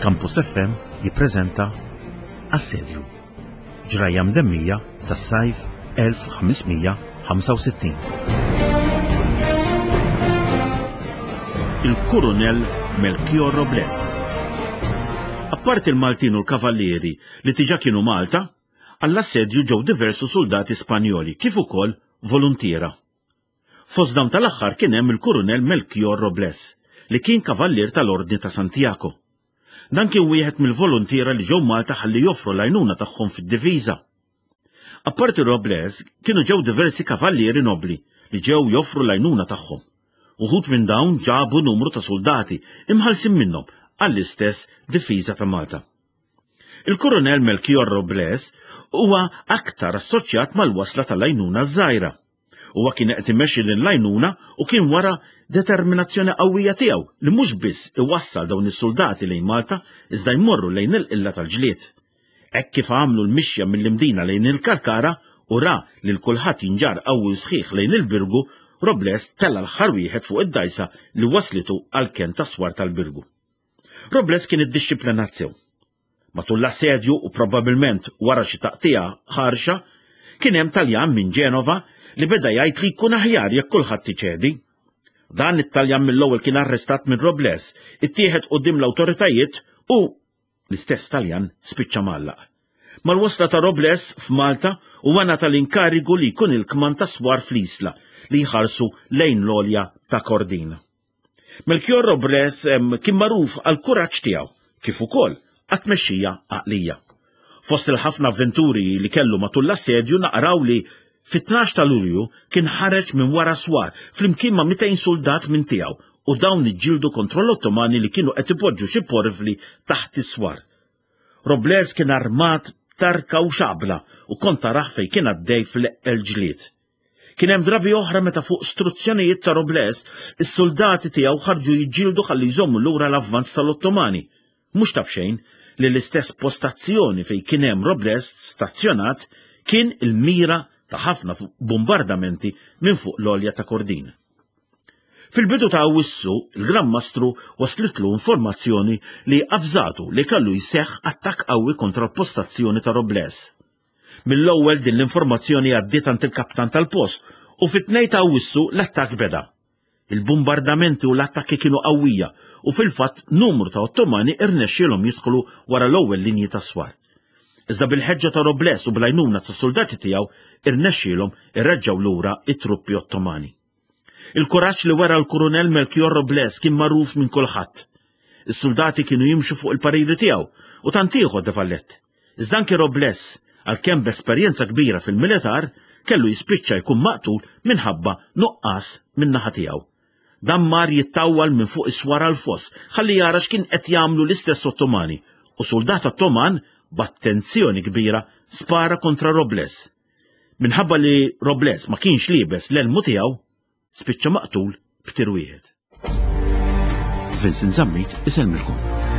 Campus FM jippreżenta Assedju. Ġrajja mdemmija tas-sajf 1565. Il-Kurunell Melchior Robles. Apparti l-Maltin u l-Kavallieri li tiġa kienu Malta, għall-assedju ġew diversu suldati Spanjoli kif ukoll voluntiera. Fost dawn tal-aħħar kien hemm il-Kurunell Melchior Robles, li kien kavallier tal-Ordni ta' Santiago. Dan kien wieħed mill-voluntiera li ġew Malta ħalli joffru l-għajnuna tagħhom fid-difiża. Apparti Robles, kienu ġew diversi kavallieri nobbli li ġew joffru l-għajnuna tagħhom. Uħud minn dawn ġabu numru ta' suldati imħallsin minnhom għall-istess difiża ta' Malta. Il-Kurunell Melchior Robles huwa aktar assoċjat mal-wasla tal-għajnuna ż-żgħira. Huwa kien qed imexxi lil l-għajnuna u kien wara determinazzjoni qawwija tiegħu li mhux biss iwassal dawn is-suldati lejn Malta iżda jmorru lejn il-qilla tal-ġlied. Hekk kif għamlu l-mixja mill-Imdina lejn il-Kalkara u ra lil kulħadd jinġarr qawwi u sħiħ lejn il-Birgu, Robles tella' l-aħħar wieħed fuq id-dgħajsa li wasslitu għall-kenn tas-swar tal-Birgu. Robles kien iddixxiplinat sew. Matul l-assedju u probabbilment wara xi taqtigħa ħarxa, kien hemm Taljan minn Ġenova li beda jgħid li jkun aħjar jekk kulħadd iċedi. Dan it-Taljan mill-ewwel kien arrestat minn Robles, ittieħed quddiem l-awtoritajiet u l-istess Taljan spiċċa mgħallaq. Mal-wasla ta' Robles f'Malta huwa ngħata l-inkarigu li jkun il-kmand tas-swar fl-Isla li jħarsu lejn l-għolja ta' Kordin. Melchior Robles kien magħruf għall-kuraġġ tiegħu kif ukoll għat-tmexxija għaqlija. Fost il-ħafna avventuri li kellu matul l-assedju naqraw li fit-12 ta' Lulju kien ħareġ minn wara swar flimkien ma' 200 suldat minn tiegħu u dawn iġġieldu kontra l-Ottomani li kienu qed ipoġġu xi porvli taħt is-swar. Robles kien armat b'tarka u xabla u kont tarah fejn kien għaddej fl-eqqel ġlied. Kien hemm drabi oħra meta fuq struzzjonijiet ta' Robles, is-suldati tiegħu ħarġu jiġġieldu ħalli jżommu lura l-avvanz tal-Ottomani. Mhux ta' b'xejn li l-istess postazzjoni fejn kien hemm Robles stazzjonat kien il-mira ta' ħafna bombardamenti minn fuq l-għolja ta' Kordin. Fil-bidu ta' Awwissu, il-Gran Mastru waslitlu informazzjoni li avżatu li kellu jseħħ attakk qawwi kontra l-postazzjoni ta' Robles. Mill-ewwel din l-informazzjoni għaddiet għand il-kaptan tal-post u fit-2 ta' Awwissu l-attakk beda. Il-bumbardamenti u l-attakki kienu qawwija u fil-fatt numru ta' Ottomani irnexxielhom jidħlu wara l-ewwel linji tas-swar. Iżda bil-ħeġġa ta' Robles u bl-għajnuna tas-suldati tiegħu irnexxielhom ireġġgħu lura t-truppi Ottomani. Il-kuraġġ li wera l-Kurunell Melchior Robles kien magħruf minn kulħadd. Is-suldati kienu jimxu fuq il-pariri tiegħu u tant ieħor de Valette. Iżda anki Robles, għalkemm b'esperjenza kbira fil-militar, kellu jispiċċa jkun maqtul minħabba nuqqas min-naħa tiegħu. Dan mar jittawwal minn fuq is-swar għall-foss ħalli jara x'kien qed jagħmlu l-istess Ottomani u suldat Ottoman b'attenzjoni kbira spara kontra Robles. Minħabba li Robles ma kienx liebes l-elmu tiegħu, spiċċa maqtul b'tir wieħed. Vincent Zammit isellmilkom.